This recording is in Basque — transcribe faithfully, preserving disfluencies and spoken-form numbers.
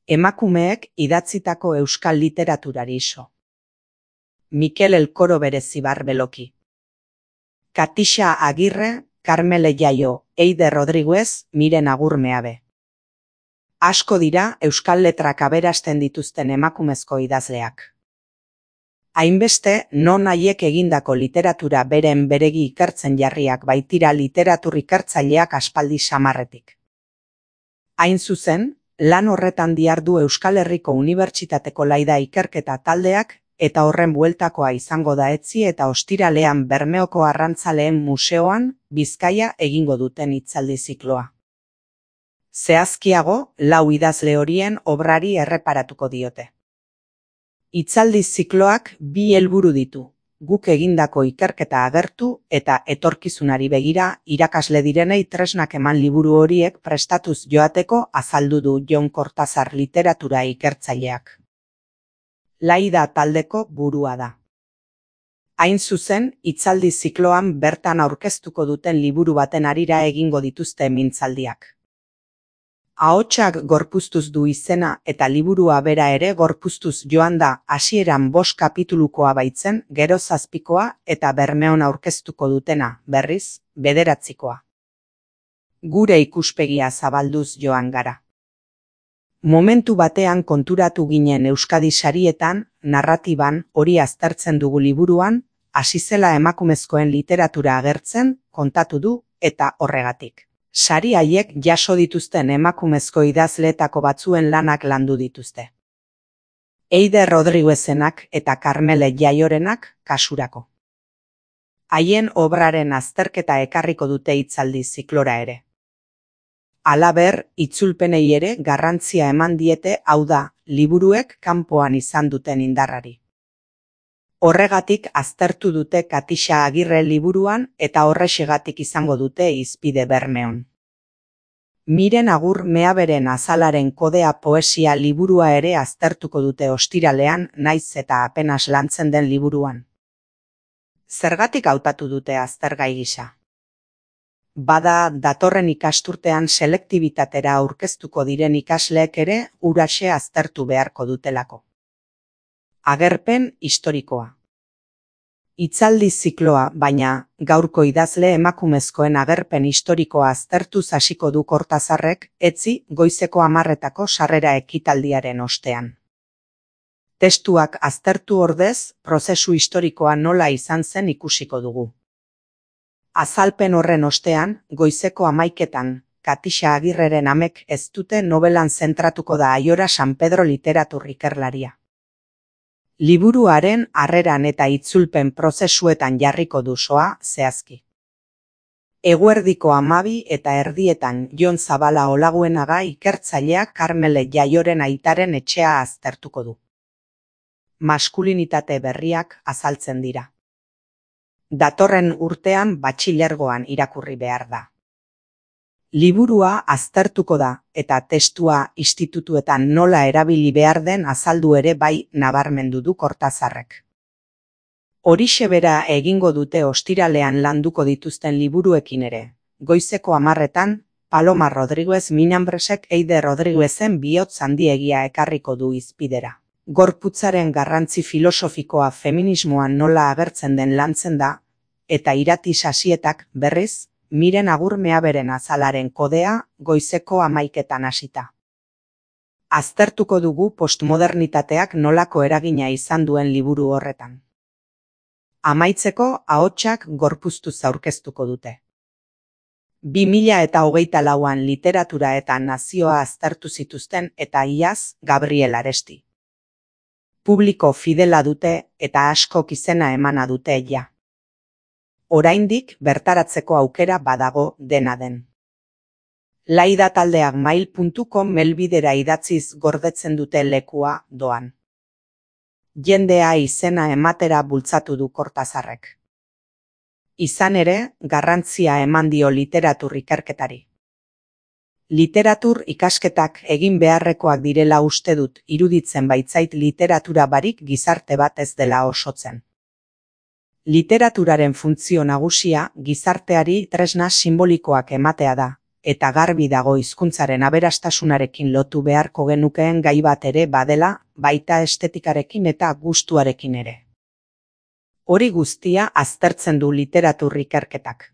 Emakumeek idatzitako euskal literaturari iso. Mikel Elkoro Berezibar Beloki. Katixa Agirre, Karmele Jaio, Eide Rodriguez, Miren Agurmeabe. Asko dira euskal letrak aberasten dituzten emakumezko idazleak. Hainbeste, non haiek egindako literatura beren beregi ikertzen jarriak baitira literatur ikertzaileak aspaldi samarretik. Hain zuzen, lan horretan dihardu Euskal Herriko Unibertsitateko Laida ikerketa taldeak eta horren bueltakoa izango da etzi eta ostiralean Bermeoko Arrantzaleen Museoan Bizkaia egingo duten hitzaldi zikloa. Zehazkiago, lau idazle horien obrari erreparatuko diote. Hitzaldi zikloak bi helburu ditu, guk egindako ikerketa agertu eta etorkizunari begira irakasle direnei tresnak eman liburu horiek prestatuz joateko azaldu du Jon Kortazar literatura ikertzaileak. Laida taldeko burua da. Hain zuzen, hitzaldi zikloan bertan aurkeztuko duten liburu baten harira egingo dituzte mintzaldiak. Ahotsak gorpuztuz du izena eta liburua bera ere gorpuztuz joan da hasieran bost kapitulukoa baitzen, gero zazpikoa eta Bermeon aurkeztuko dutena, berriz, bederatzikoa. Gure ikuspegia zabalduz joan gara. Momentu batean konturatu ginen Euskadi sarietan, narratiban, hori aztertzen dugu liburuan, hasi zela emakumezkoen literatura agertzen, kontatu du, eta horregatik. Sari haiek jaso dituzten emakumezko idazleetako batzuen lanak landu dituzte. Eide Rodriguezenak eta Karmele Jaiorenak kasurako. Haien obraren azterketa ekarriko dute hitzaldi ziklora ere. Halaber, itzulpenei ere garrantzia eman diete, hau da, liburuek kanpoan izan duten indarrari. Horregatik aztertu dute Katixa Agirre liburuan eta horrexegatik izango dute hizpide Bermeon. Miren Agurmeaberen Azalaren kodea poesia liburua ere aztertuko dute ostiralean, naiz eta apenas lantzen den liburuan. Zergatik hautatu dute aztergai gisa? Bada, datorren ikasturtean selektibitatera aurkeztuko diren ikasleek ere huraxe aztertu beharko dutelako. Agerpen historikoa. Hitzaldi zikloa, baina, gaurko idazle emakumezkoen agerpen historikoa aztertuz hasiko du Kortazarrek, etzi goizeko hamarretako sarrera ekitaldiaren ostean. Testuak aztertu ordez, prozesu historikoa nola izan zen ikusiko dugu. Azalpen horren ostean, goizeko hamaiketan, Katixa Agirreren amek ez dute nobelan zentratuko da Aiora San Pedro literatur ikerlaria. Liburuaren harreran eta itzulpen prozesuetan jarriko du soa zehazki. Eguerdiko hamabi eta erdietan Jon Zabala Olaguenaga ikertzaileak Karmele Jaioren aitaren etxea aztertuko du. Maskulinitate berriak azaltzen dira. Datorren urtean batxilergoan irakurri behar da. Liburua aztertuko da eta testua institutuetan nola erabili behar den azaldu ere bai nabarmendu du Kortazarrek. Horixe bera egingo dute ostiralean landuko dituzten liburuekin ere. Goizeko hamarretan, Paloma Rodriguez Minambresek Eide Rodriguezen bihotz handiegia ekarriko du hizpidera. Gorputzaren garrantzi filosofikoa feminismoan nola agertzen den lantzen da, eta Irati Sasietak berriz, Miren Agurmeaberen Azalaren kodea goizeko hamaiketan hasita. Aztertuko dugu postmodernitateak nolako eragina izan duen liburu horretan. Amaitzeko ahotsak gorpuztuz aurkeztuko dute. bi mila eta hogeita lauan literatura eta nazioa aztertu zituzten eta iaz Gabriel Aresti. Publiko fidela dute eta askok izena emana dute ja. Oraindik bertaratzeko aukera badago dena den. Laida taldeak mail puntu com helbidera idatziz gordetzen dute lekua doan. Jendea izena ematera bultzatu du Kortazarrek. Izan ere, garrantzia eman dio literatur ikerketari. Literatur ikasketak egin beharrekoak direla uste dut, iruditzen baitzait literatura barik gizarte bat ez dela osotzen. Literaturaren funtzio nagusia gizarteari tresna sinbolikoak ematea da, eta garbi dago hizkuntzaren aberastasunarekin lotu beharko genukeen gai bat ere badela, baita estetikarekin eta gustuarekin ere. Hori guztia aztertzen du literatur ikerketak.